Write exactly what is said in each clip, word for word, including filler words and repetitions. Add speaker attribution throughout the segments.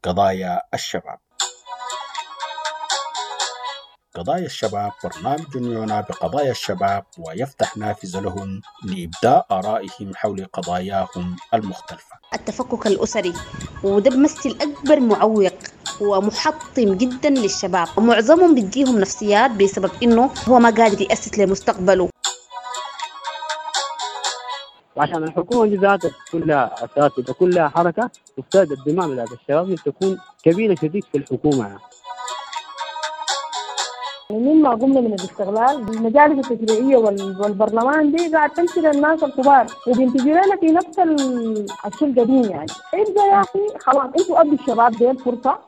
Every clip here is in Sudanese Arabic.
Speaker 1: قضايا الشباب. قضايا الشباب برنامج يعنى بقضايا الشباب ويفتح نافذة لهم لإبداء آرائهم حول قضاياهم المختلفة.
Speaker 2: التفكك الأسري وده بمثل أكبر معوق ومحطم جدا للشباب، ومعظمهم بتجيهم نفسيات بسبب إنه هو ما قادر يأسس لمستقبله.
Speaker 3: وعشان الحكومة دي ذاتها كلها أساس وكلها حركة تفترض الدماء بتاعت الشباب تكون كبيرة شديد في الحكومة يعني.
Speaker 4: مما قمنا من الاستغلال المجالس التشريعية والبرلمان دي قاعد تمشي للناس الكبار وبينتجوا لنا في نفس الشيء القديم يعني. ابدا يا اخي خلاص انتوا ادوا الشباب دي الفرصة.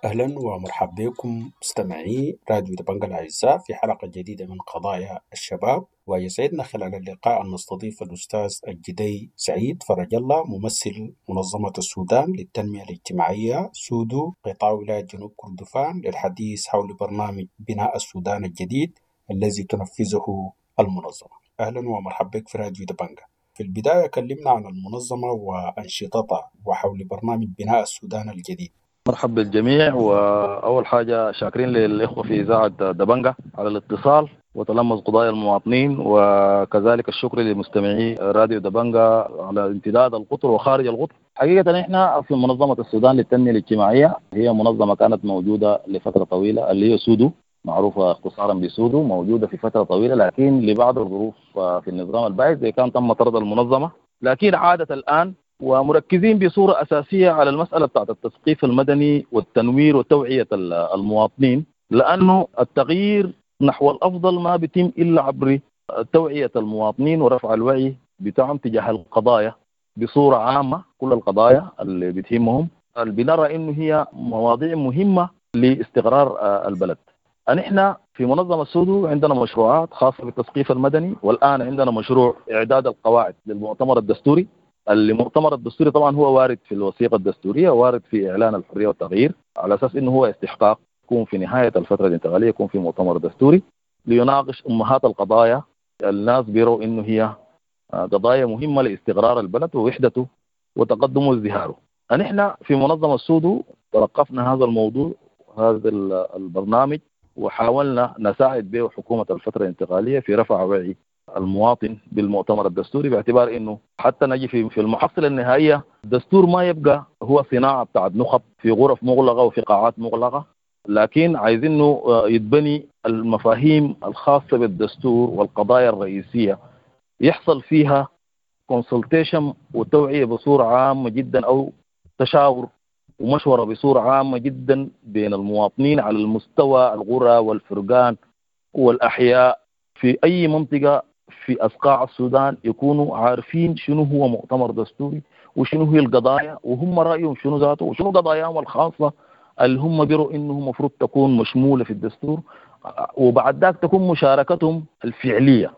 Speaker 1: أهلا ومرحبا بكم مستمعي راديو دبنجا الأعزاء في حلقة جديدة من قضايا الشباب، ويسعدنا خلال اللقاء أن نستضيف الأستاذ الجدي سعيد فرج الله، ممثل منظمة السودان للتنمية الاجتماعية سودو قطاع ولاية جنوب كردفان، للحديث حول برنامج بناء السودان الجديد الذي تنفذه المنظمة. أهلا ومرحبا بك في راديو دبنجا. في البداية كلمنا عن المنظمة وأنشطتها وحول برنامج بناء السودان الجديد.
Speaker 5: مرحبا بالجميع، وأول حاجة شاكرين للإخوة في إذاعة دبنجا على الاتصال وتلمس قضايا المواطنين، وكذلك الشكر لمستمعي راديو دبنجا على امتداد القطر وخارج القطر. حقيقة إحنا في منظمة السودان للتنمية الاجتماعية، هي منظمة كانت موجودة لفترة طويلة اللي هي سودو، معروفة اختصارا بسودو، موجودة في فترة طويلة، لكن لبعض الظروف في النظام البائس زي كان تم طرد المنظمة، لكن عادت الآن ومركزين بصورة أساسية على المسألة بتاعت التثقيف المدني والتنوير وتوعية المواطنين، لأنه التغيير نحو الأفضل ما بيتم إلا عبر توعية المواطنين ورفع الوعي بتاعهم تجاه القضايا بصورة عامة، كل القضايا اللي بتهمهم اللي بنرى إنه هي مواضيع مهمة لاستقرار البلد. نحن في منظمة سودو عندنا مشروعات خاصة بالتثقيف المدني، والآن عندنا مشروع إعداد القواعد للمؤتمر الدستوري. المؤتمر الدستوري طبعا هو وارد في الوثيقة الدستورية، وارد في إعلان الحرية والتغيير، على أساس إنه هو استحقاق يكون في نهاية الفترة الانتقالية يكون في مؤتمر دستوري ليناقش أمهات القضايا. الناس بيروا إنه هي قضايا مهمة لاستقرار البلد ووحدته وتقدمه وازدهاره. نحن في منظمة سودو تلقفنا هذا الموضوع، هذا البرنامج، وحاولنا نساعد به حكومة الفترة الانتقالية في رفع وعي المواطن بالمؤتمر الدستوري، باعتبار انه حتى نجي في في المحصلة النهائية الدستور ما يبقى هو صناعة بتاعت نخب في غرف مغلقة وفي قاعات مغلقة، لكن عايزينه يتبني المفاهيم الخاصة بالدستور والقضايا الرئيسية يحصل فيها consultation وتوعيه بصورة عامة جدا، او تشاور ومشوره بصورة عامة جدا بين المواطنين على المستوى القرى والفرقان والاحياء في اي منطقة في أصقاع السودان، يكونوا عارفين شنو هو مؤتمر دستوري وشنو هي القضايا وهم رأيهم شنو ذاته وشنو قضاياهم الخاصة اللي هم بيروا إنه مفروض تكون مشمولة في الدستور، وبعد ذاك تكون مشاركتهم الفعلية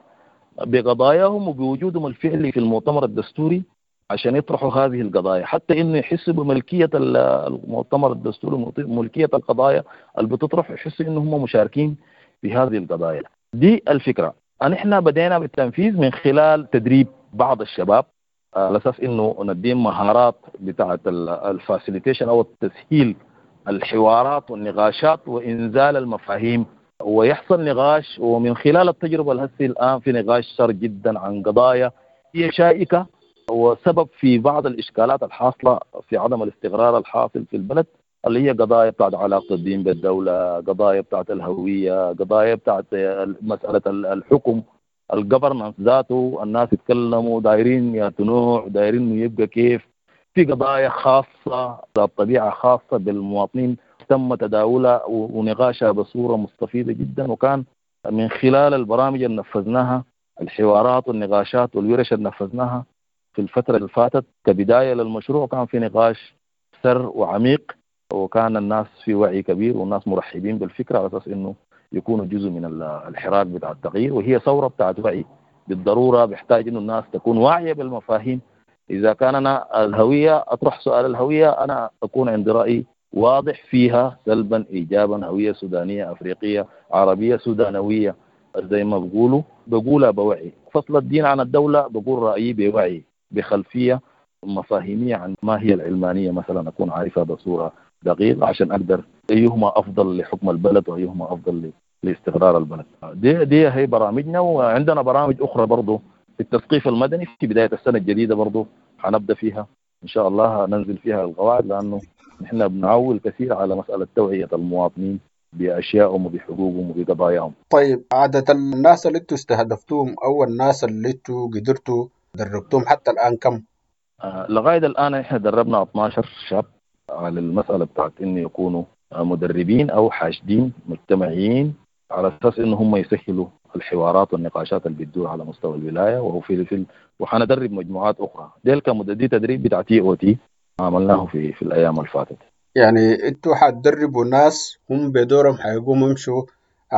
Speaker 5: بقضاياهم وبوجودهم الفعلي في المؤتمر الدستوري عشان يطرحوا هذه القضايا، حتى إنه يحسوا بملكية المؤتمر الدستوري، ملكية القضايا اللي بتطرح، يحسوا إنه هم مشاركين في هذه القضايا. دي الفكرة. نحن بدينا بالتنفيذ من خلال تدريب بعض الشباب على أساس إنه نديهم مهارات بتاعة ال facilitation أو التسهيل الحوارات والنقاشات وإنزال المفاهيم، ويحصل نقاش. ومن خلال التجربة الهسي الآن في نقاش شر جدا عن قضايا هي شائكة وسبب في بعض الإشكالات الحاصلة في عدم الاستقرار الحاصل في البلد، اللي هي قضايا بتاعت علاقة الدين بالدولة، قضايا بتاعت الهوية، قضايا بتاعت مسألة الحكم، الجفرنس ذاته، الناس يتكلموا دايرين يا نوع، دايرين انه يبقى كيف. في قضايا خاصة ذات طبيعة خاصة بالمواطنين تم تداولها ونقاشها بصورة مستفيضة جدا، وكان من خلال البرامج اللي نفذناها، الحوارات والنقاشات والورش اللي نفذناها في الفترة اللي فاتت كبداية للمشروع، كان في نقاش سر وعميق، وكان الناس في وعي كبير والناس مرحبين بالفكرة على أساس إنه يكونوا جزء من الحراك بتاع التغيير، وهي ثورة بتاعت وعي بالضرورة، بيحتاج إنه الناس تكون واعية بالمفاهيم. إذا كان أنا الهوية أطرح سؤال الهوية، أنا أكون عندي رأي واضح فيها سلبا إيجابا، هوية سودانية أفريقية عربية سودانوية، زي ما بقولوا بقولها بوعي. فصل الدين عن الدولة بقول رأيي بوعي، بخلفية مفاهيمية عن ما هي العلمانية مثلا، أكون عارفها بصورة دقيقة عشان أقدر أيهما أفضل لحكم البلد وأيهما أفضل لاستقرار البلد. دي, دي هي برامجنا. وعندنا برامج أخرى برضو في التثقيف المدني في بداية السنة الجديدة برضو حنبدأ فيها إن شاء الله، ننزل فيها القواعد، لأنه نحن بنعول كثير على مسألة توعية المواطنين بأشيائهم وبحقوقهم وبقضاياهم.
Speaker 1: طيب عادة الناس اللي انتوا استهدفتوهم أو الناس اللي انتوا قدرتوا دربتوهم حتى الآن كم؟
Speaker 5: آه لغاية الآن احنا دربنا اثناشر شاب على المسألة بتاعت إنه يكونوا مدربين أو حاشدين مجتمعيين على أساس إنه هم يسهلوا الحوارات والنقاشات اللي بتدور على مستوى الولاية. وهو في في وحندرب مجموعات أخرى. ديل كمدة تدريب بتاع تي أو تي عملناه في في الأيام اللي فاتت.
Speaker 1: يعني انتوا حتدربوا ناس هم بدورهم حيقوموا يمشوا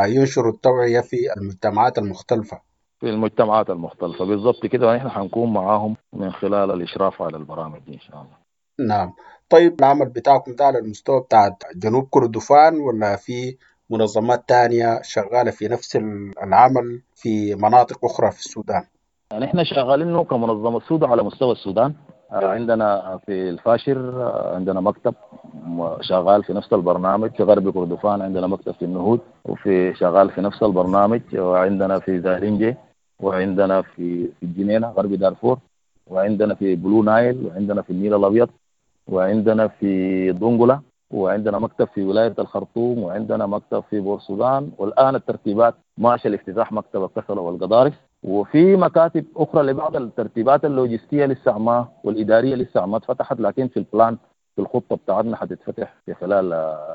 Speaker 1: ينشروا التوعية في المجتمعات المختلفة.
Speaker 5: في المجتمعات المختلفة بالضبط كده، ونحن حنكون معاهم من خلال الإشراف على البرامج دي إن شاء الله.
Speaker 1: نعم. طيب العمل بتاعكم ده على المستوى بتاع جنوب كردفان ولا في منظمات تانية شغالة في نفس العمل في مناطق أخرى في السودان؟
Speaker 5: يعني احنا شغالين كمنظمة سودة على مستوى السودان. عندنا في الفاشر عندنا مكتب شغال في نفس البرنامج، في غرب كردفان عندنا مكتب في النهود وفي شغال في نفس البرنامج، وعندنا في زارنجي، وعندنا في الجنينة غرب دارفور، وعندنا في بلو نايل، وعندنا في النيل الأبيض، وعندنا في دونغولا، وعندنا مكتب في ولاية الخرطوم، وعندنا مكتب في بورسودان، والآن الترتيبات ماشية لافتتاح مكتب الكسلة والقضارف، وفي مكاتب أخرى لبعض الترتيبات اللوجستية لسه ما والإدارية لسه ما اتفتحت، لكن في ال plan في الخطة بتاعتنا حتتفتح في خلال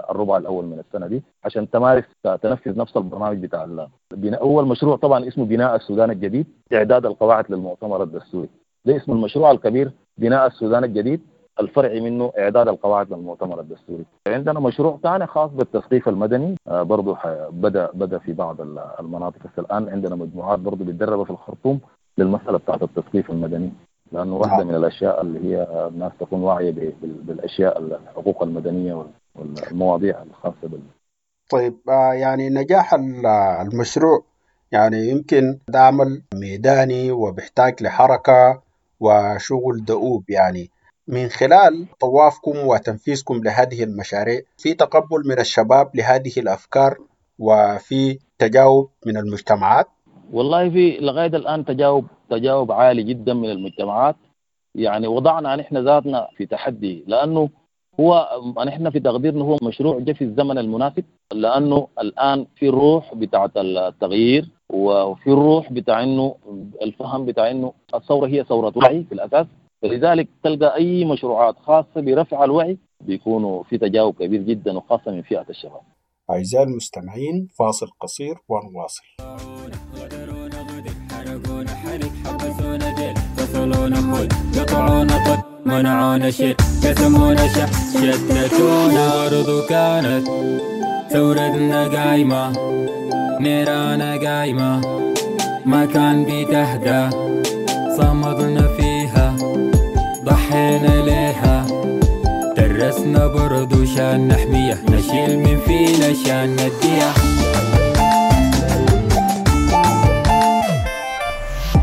Speaker 5: الربع الأول من السنة دي عشان تمارس تنفذ نفس البرنامج بتاع البناء. أول مشروع طبعا اسمه بناء السودان الجديد، إعداد القواعد للمؤتمر الدستوري، ده اسم المشروع الكبير بناء السودان الجديد، الفرعي منه إعداد القواعد للمؤتمر الدستوري. عندنا مشروع ثاني خاص بالتثقيف المدني برضه بدأ بدأ في بعض المناطق، بس الآن عندنا مجموعات برضه بتدرب في الخرطوم للمسألة بتاعت التثقيف المدني، لأنه واحدة من الأشياء اللي هي الناس تكون واعية بالأشياء الحقوق المدنية والمواضيع الخاصة بال.
Speaker 1: طيب يعني نجاح المشروع يعني يمكن ده عمل ميداني وبيحتاج لحركة وشغل دؤوب، يعني من خلال طوافكم وتنفيذكم لهذه المشاريع في تقبل من الشباب لهذه الأفكار وفي تجاوب من المجتمعات؟
Speaker 5: والله في لغاية الآن تجاوب تجاوب عالي جدا من المجتمعات. يعني وضعنا نحن ذاتنا في تحدي، لأنه هو نحن في تقديرنا هو مشروع جاء في الزمن المناسب، لأنه الآن في الروح بتاعة التغيير، وفي الروح بتاع إنه الفهم بتاع إنه الثورة هي ثورة وعي في الأساس. فلذلك تلقى أي مشروعات خاصة برفع الوعي بيكونوا في تجاوب كبير جدا، وخاصة من فئة الشباب.
Speaker 1: أعزائي المستمعين، فاصل قصير ونواصل.
Speaker 6: منعونا شيء، كتمونا شح، شتتونا. برضو كانت ثورتنا قايمة، نيرانا قايمة، ما كان بتهدى، صمدنا فيها، ضحينا ليها، درسنا برضو شان نحمية، نشيل من فينا شان نديها.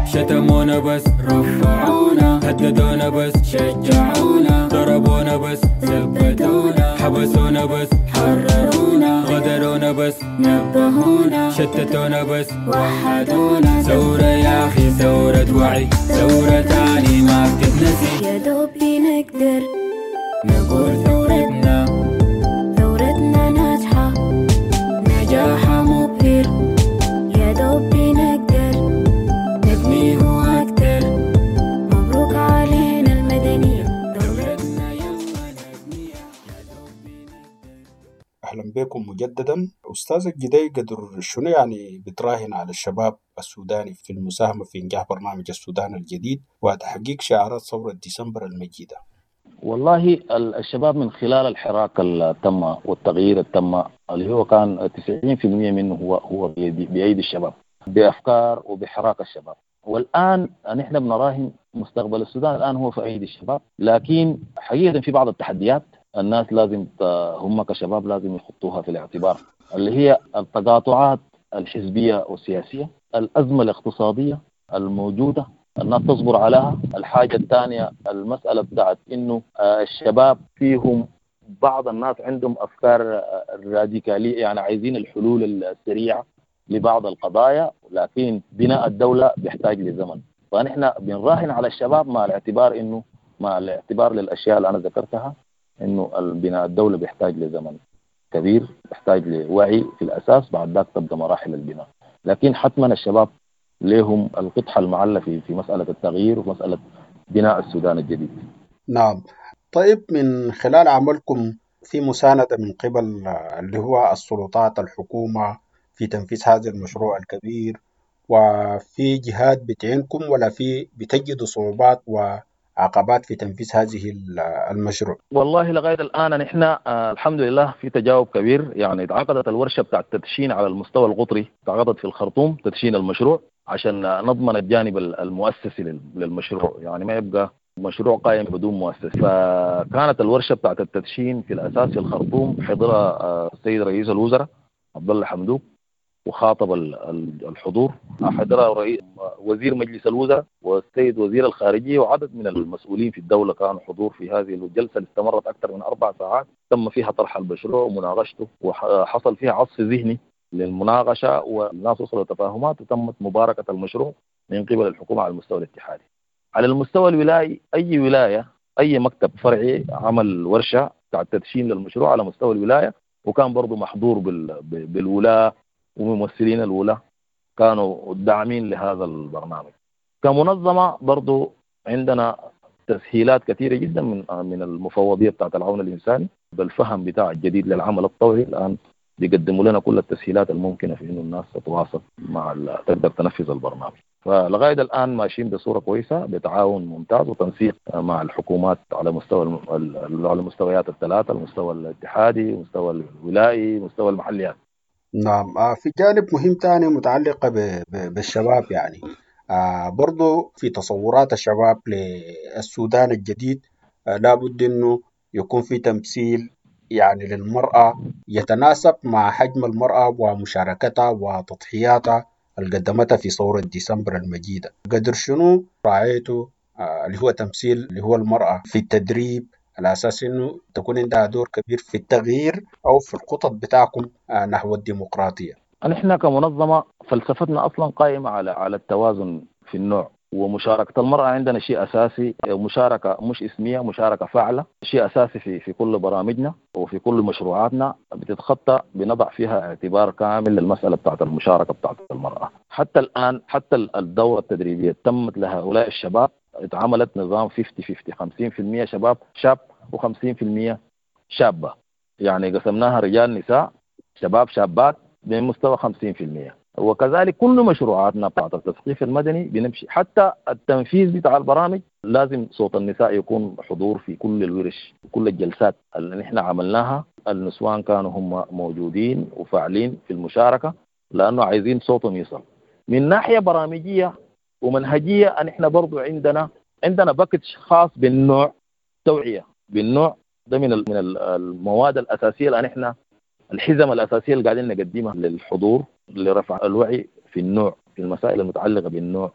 Speaker 6: شتمونا بس رفعونا، هددونا بس شجعونا، ضربونا بس ثبتونا، حبسونا بس حررونا، غدرونا بس نبهونا، شتتونا بس وحدونا. ثورة يا أخي، ثورة وعي، ثورة تاني ما بتتنسي.
Speaker 7: يا دوبي نقدر
Speaker 6: نقول ثورتنا،
Speaker 7: ثورتنا ناجحة،
Speaker 6: نجاحها مبهر.
Speaker 7: يا دوبي نقدر
Speaker 6: نبنيه أكتر،
Speaker 7: مبروك علينا المدنية،
Speaker 6: ثورتنا يلا نبنيها. يا دوبي نقدر.
Speaker 1: أهلا بكم مجددا. أستاذ الجدي، قدر شنو يعني بتراهن على الشباب السوداني في المساهمة في إنجاح برنامج السودان الجديد وتحقيق شعارات ثورة ديسمبر المجيدة؟
Speaker 5: والله الشباب من خلال الحراك اللي تم والتغيير اللي تم، اللي هو كان تسعين بالمئة منه هو هو بأيدي الشباب، بأفكار وبحراك الشباب. والآن نحن بنراهن مستقبل السودان الآن هو في أيدي الشباب، لكن حقيقة في بعض التحديات الناس لازم هم كشباب لازم يحطوها في الاعتبار، اللي هي التقاطعات الحزبية والسياسية، الأزمة الاقتصادية الموجودة الناس تصبر عليها. الحاجة الثانية المسألة بتاعت إنه الشباب فيهم بعض الناس عندهم أفكار راديكالية، يعني عايزين الحلول السريعة لبعض القضايا، لكن بناء الدولة بيحتاج لزمن. فنحن بنراهن على الشباب مع الاعتبار إنه مع الاعتبار للأشياء اللي أنا ذكرتها، إنه بناء الدولة بيحتاج لزمن كبير، بيحتاج لوعي في الأساس، بعد ذاك تبدأ مراحل البناء. لكن حتما الشباب لهم القطحة المعلة في في مسألة التغيير ومسألة بناء السودان الجديد.
Speaker 1: نعم. طيب، من خلال عملكم في مساندة من قبل اللي هو السلطات الحكومة في تنفيذ هذا المشروع الكبير، وفي جهات بتعينكم ولا في بتجدوا صعوبات وعقبات في تنفيذ هذه المشروع؟
Speaker 5: والله لغاية الآن نحن آه الحمد لله في تجاوب كبير. يعني تعاقدت الورشة بتاع التدشين على المستوى القطري، تعاقدت في الخرطوم تدشين المشروع عشان نضمن الجانب المؤسسي للمشروع، يعني ما يبقى مشروع قائم بدون مؤسسة. فكانت الورشة بتاعت التدشين في الأساس في الخرطوم، حضرها السيد رئيس الوزراء عبد الله حمدوك وخاطب الحضور، حضرها وزير مجلس الوزراء والسيد وزير الخارجية وعدد من المسؤولين في الدولة كانوا حضور في هذه الجلسة اللي استمرت أكثر من أربع ساعات. تم فيها طرح المشروع ومناقشته، وحصل فيها عصف ذهني للمناقشة والناس وصلوا تفاهمات، وتمت مباركة المشروع من قبل الحكومة على المستوى الاتحادي. على المستوى الولائي، أي ولاية أي مكتب فرعي عمل ورشة بتاع تدشين للمشروع على مستوى الولاية، وكان برضو محضور بالولاة وممثلين الولاة كانوا داعمين لهذا البرنامج. كمنظمة برضو عندنا تسهيلات كثيرة جدا من من المفوضية بتاعت العون الإنساني بالفهم بتاع الجديد للعمل الطوعي. الآن بيقدموا لنا كل التسهيلات الممكنة في إنه الناس تتواصل مع تقدر تنفذ البرنامج. فلغاية الآن ماشيين بصورة كويسة بتعاون ممتاز وتنسيق مع الحكومات على مستوى على المستويات الثلاثة، المستوى الاتحادي، المستوى الولائي، مستوى المحليات.
Speaker 1: نعم. في جانب مهم تاني متعلقة بالشباب، يعني برضو في تصورات الشباب للسودان الجديد لابد إنه يكون في تمثيل يعني للمرأة يتناسب مع حجم المرأة ومشاركتها وتضحياتها اللي قدمتها في ثورة ديسمبر المجيدة. قدر شنو رعايته اللي هو تمثيل اللي هو المرأة في التدريب على أساس إنه تكون عندها دور كبير في التغيير أو في الخطط بتاعكم نحو الديمقراطية؟
Speaker 5: نحن كمنظمة فلسفتنا أصلا قائمة على على التوازن في النوع، ومشاركة المرأة عندنا شيء أساسي، مشاركة مش اسمية، مشاركة فاعلة، شيء أساسي في في كل برامجنا وفي كل مشروعاتنا بتتخطى، بنضع فيها اعتبار كامل للمسألة بتاعت المشاركة بتاعت المرأة. حتى الآن حتى الدورة التدريبية تمت لهؤلاء الشباب، اتعملت نظام خمسين خمسين، خمسين بالمئة شباب شاب وخمسين بالمئة شابة، يعني قسمناها رجال نساء شباب شابات بمستوى خمسين بالمئة. وكذلك كل مشروعاتنا بتاعت التثقيف المدني بنمشي، حتى التنفيذ بتاع البرامج لازم صوت النساء يكون حضور في كل الورش وكل الجلسات اللي نحن عملناها. النسوان كانوا هم موجودين وفاعلين في المشاركة لأنه عايزين صوتهم يصل. من ناحية برامجية ومنهجية نحن برضو عندنا عندنا باكج خاص بالنوع، توعية بالنوع ده من من المواد الأساسية اللي نحن الحزم الأساسية اللي قاعدين نقدمها للحضور لرفع الوعي في النوع، في المسائل المتعلقة بالنوع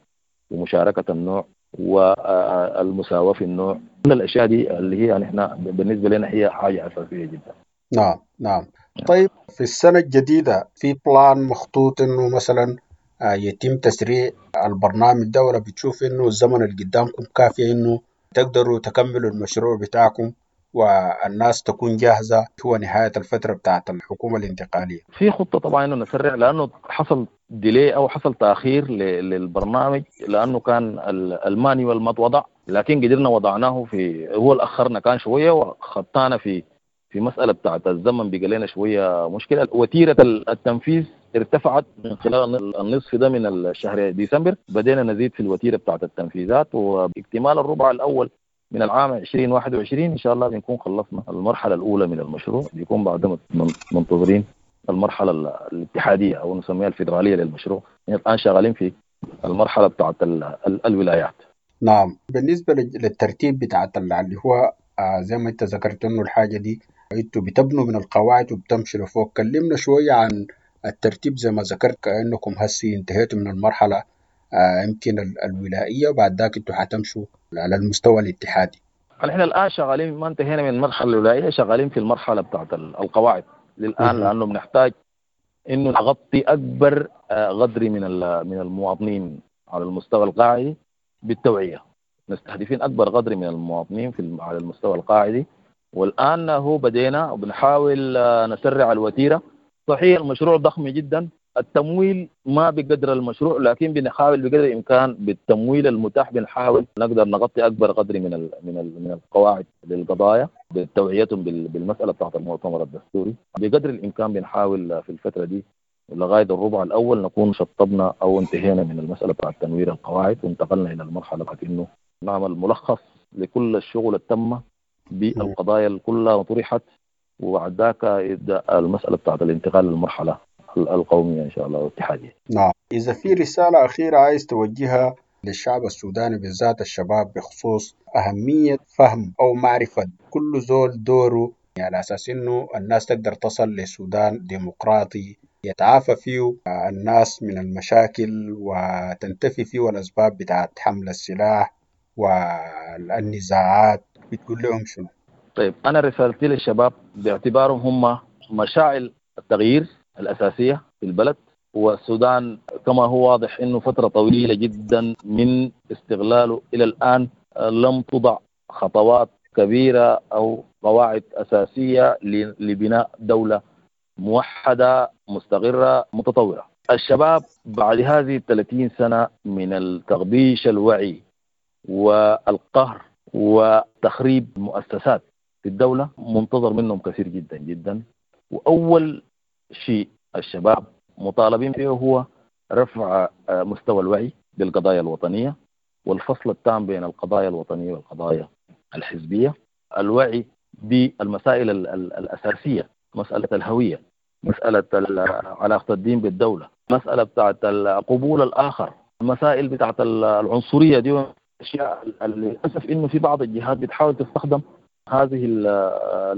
Speaker 5: ومشاركة النوع والمساواة في النوع، كل الأشياء دي اللي هي نحن بالنسبة لنا هي حاجة أساسية جدا.
Speaker 1: نعم نعم. طيب في السنة الجديدة في بلان مخطوط إنه مثلا يتم تسريع البرنامج ده، ولا بتشوف إنه الزمن اللي قدامكم كافي إنه تقدروا تكملوا المشروع بتاعكم والناس تكون جاهزة هو نهاية الفترة بتاعت الحكومة الانتقالية؟
Speaker 5: في خطة طبعا إنه نسرع، لأنه حصل ديلي أو حصل تأخير للبرنامج لأنه كان المانيوال ما اتوضع، لكن قدرنا وضعناه في هو الأخرنا كان شوية وخطانا في في مسألة بتاعت الزمن بقى لنا شوية مشكلة. وتيرة التنفيذ ارتفعت من خلال النصف ده من الشهر ديسمبر، بدينا نزيد في الوتيرة بتاعت التنفيذات، واكتمال الربع الأول من العام عشرين واحد وعشرين إن شاء الله بنكون خلصنا المرحلة الأولى من المشروع، بيكون بعد منتظرين المرحلة الاتحادية أو نسميها الفيدرالية للمشروع. يعني الآن شغالين في المرحلة بتاعت الولايات.
Speaker 1: نعم. بالنسبة للترتيب بتاعت اللي هو زي ما أنت ذكرت إنه الحاجة دي أنتوا بتبنوا من القواعد وبتمشوا لفوق، كلمنا شوية عن الترتيب زي ما ذكرت كأنكم هسي انتهيتوا من المرحلة آه، يمكن ال- الولائية، وبعد ذاك انتوا حتمشوا على المستوى الاتحادي.
Speaker 5: نحن الان شغالين، ما انتهينا من المرحلة الولائيه، شغالين في المرحلة بتاعت ال- القواعد للان،
Speaker 1: مهم.
Speaker 5: لانه بنحتاج انه نغطي اكبر آه، قدر من ال- من المواطنين على المستوى القاعدي بالتوعية. مستهدفين اكبر قدر من المواطنين في الم- على المستوى القاعدي، والان هو بدينا وبنحاول آه، نسرع الوتيره. صحيح المشروع ضخم جدا، التمويل ما بقدر المشروع، لكن بنحاول بقدر الامكان بالتمويل المتاح بنحاول نقدر نغطي اكبر قدر من ال من ال من القواعد للقضايا بتوعيتهم بال- بالمسالة بتاعت المؤتمر الدستوري. بقدر الامكان بنحاول في الفترة دي لغاية الربع الاول نكون شطبنا او انتهينا من المسالة بتاعت تنوير القواعد، وانتقلنا الى المرحلة بتاعت انه نعمل ملخص لكل الشغل اللي تم بالقضايا اللي كلها طرحت، وبعد ذاك يبدا المسالة بتاعت الانتقال للمرحلة القومية ان شاء الله والاتحاديه.
Speaker 1: نعم، إذا في رسالة أخيرة عايز توجهها للشعب السوداني بالذات الشباب بخصوص أهمية فهم أو معرفة كل زول دوره، يعني على أساس إنه الناس تقدر تصل لسودان ديمقراطي يتعافى فيه الناس من المشاكل وتنتفي فيه الأسباب بتاعت حمل السلاح والنزاعات، بتقول لهم شنو؟
Speaker 5: طيب، انا رسالتي للشباب باعتبارهم هم مشاعل التغيير الاساسية في البلد، والسودان كما هو واضح انه فترة طويلة جدا من استغلاله الى الان آه، لم تضع خطوات كبيرة او قواعد اساسية ل- لبناء دولة موحدة مستقره متطورة. الشباب بعد هذه ثلاثين سنة من التغبيش الوعي والقهر وتخريب مؤسسات في الدولة منتظر منهم كثير جدا جدا. وأول شيء الشباب مطالبين فيه هو رفع آه، مستوى الوعي بالقضايا الوطنية والفصل التام بين القضايا الوطنية والقضايا الحزبية، الوعي بالمسائل ال- ال- الأساسية، مسألة الهوية، مسألة ال- علاقة الدين بالدولة، مسألة بتاعت قبول الآخر، المسائل بتاعت ال- العنصرية دي، أشياء للأسف إنه في بعض الجهات بتحاول تستخدم هذه ال-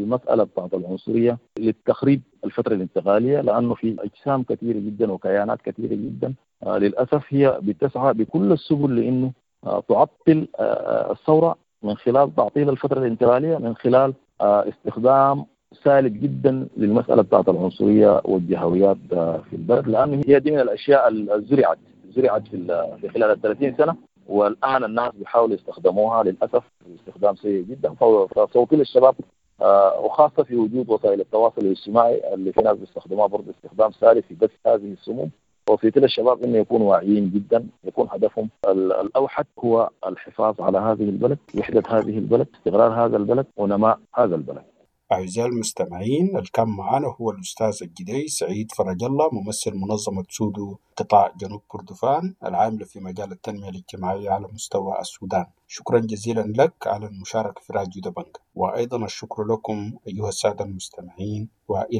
Speaker 5: المسألة بتاعت العنصرية للتخريب الفترة الانتقالية، لأنه في أجسام كثيرة جدا وكيانات كثيرة جدا آه، للأسف هي بتسعى بكل السبل لأنه آه، تعطل آه، الثورة من خلال تعطيل الفترة الانتقالية، من خلال آه، استخدام سالب جدا للمسألة بتاعت العنصرية والجهويات آه، في البلد، لأنه هي دي من الأشياء اللي زرعت زرعت في ال- في خلال ال ثلاثين سنة، والآن الناس بيحاولوا يستخدموها للأسف استخدام سيء جدا. فصوتي للشباب آه، وخاصة في وجود وسائل التواصل الاجتماعي اللي في ناس بيستخدموها برضه استخدام سالب في بث هذه السموم، وصيتي للشباب انه يكونوا واعيين جدا، يكون هدفهم ال- الاوحد هو الحفاظ على هذه البلد، وحده هذه البلد، استقرار هذا البلد، ونماء هذا البلد.
Speaker 1: أعزائي المستمعين، اللي كان معنا هو الأستاذ الجدي سعيد فرج الله، ممثل منظمة سودو قطاع جنوب كردفان العاملة في مجال التنمية الاجتماعية على مستوى السودان. شكرا جزيلا لك على المشاركة في راديو دبنجا، وأيضا الشكر لكم أيها السادة المستمعين، وإلى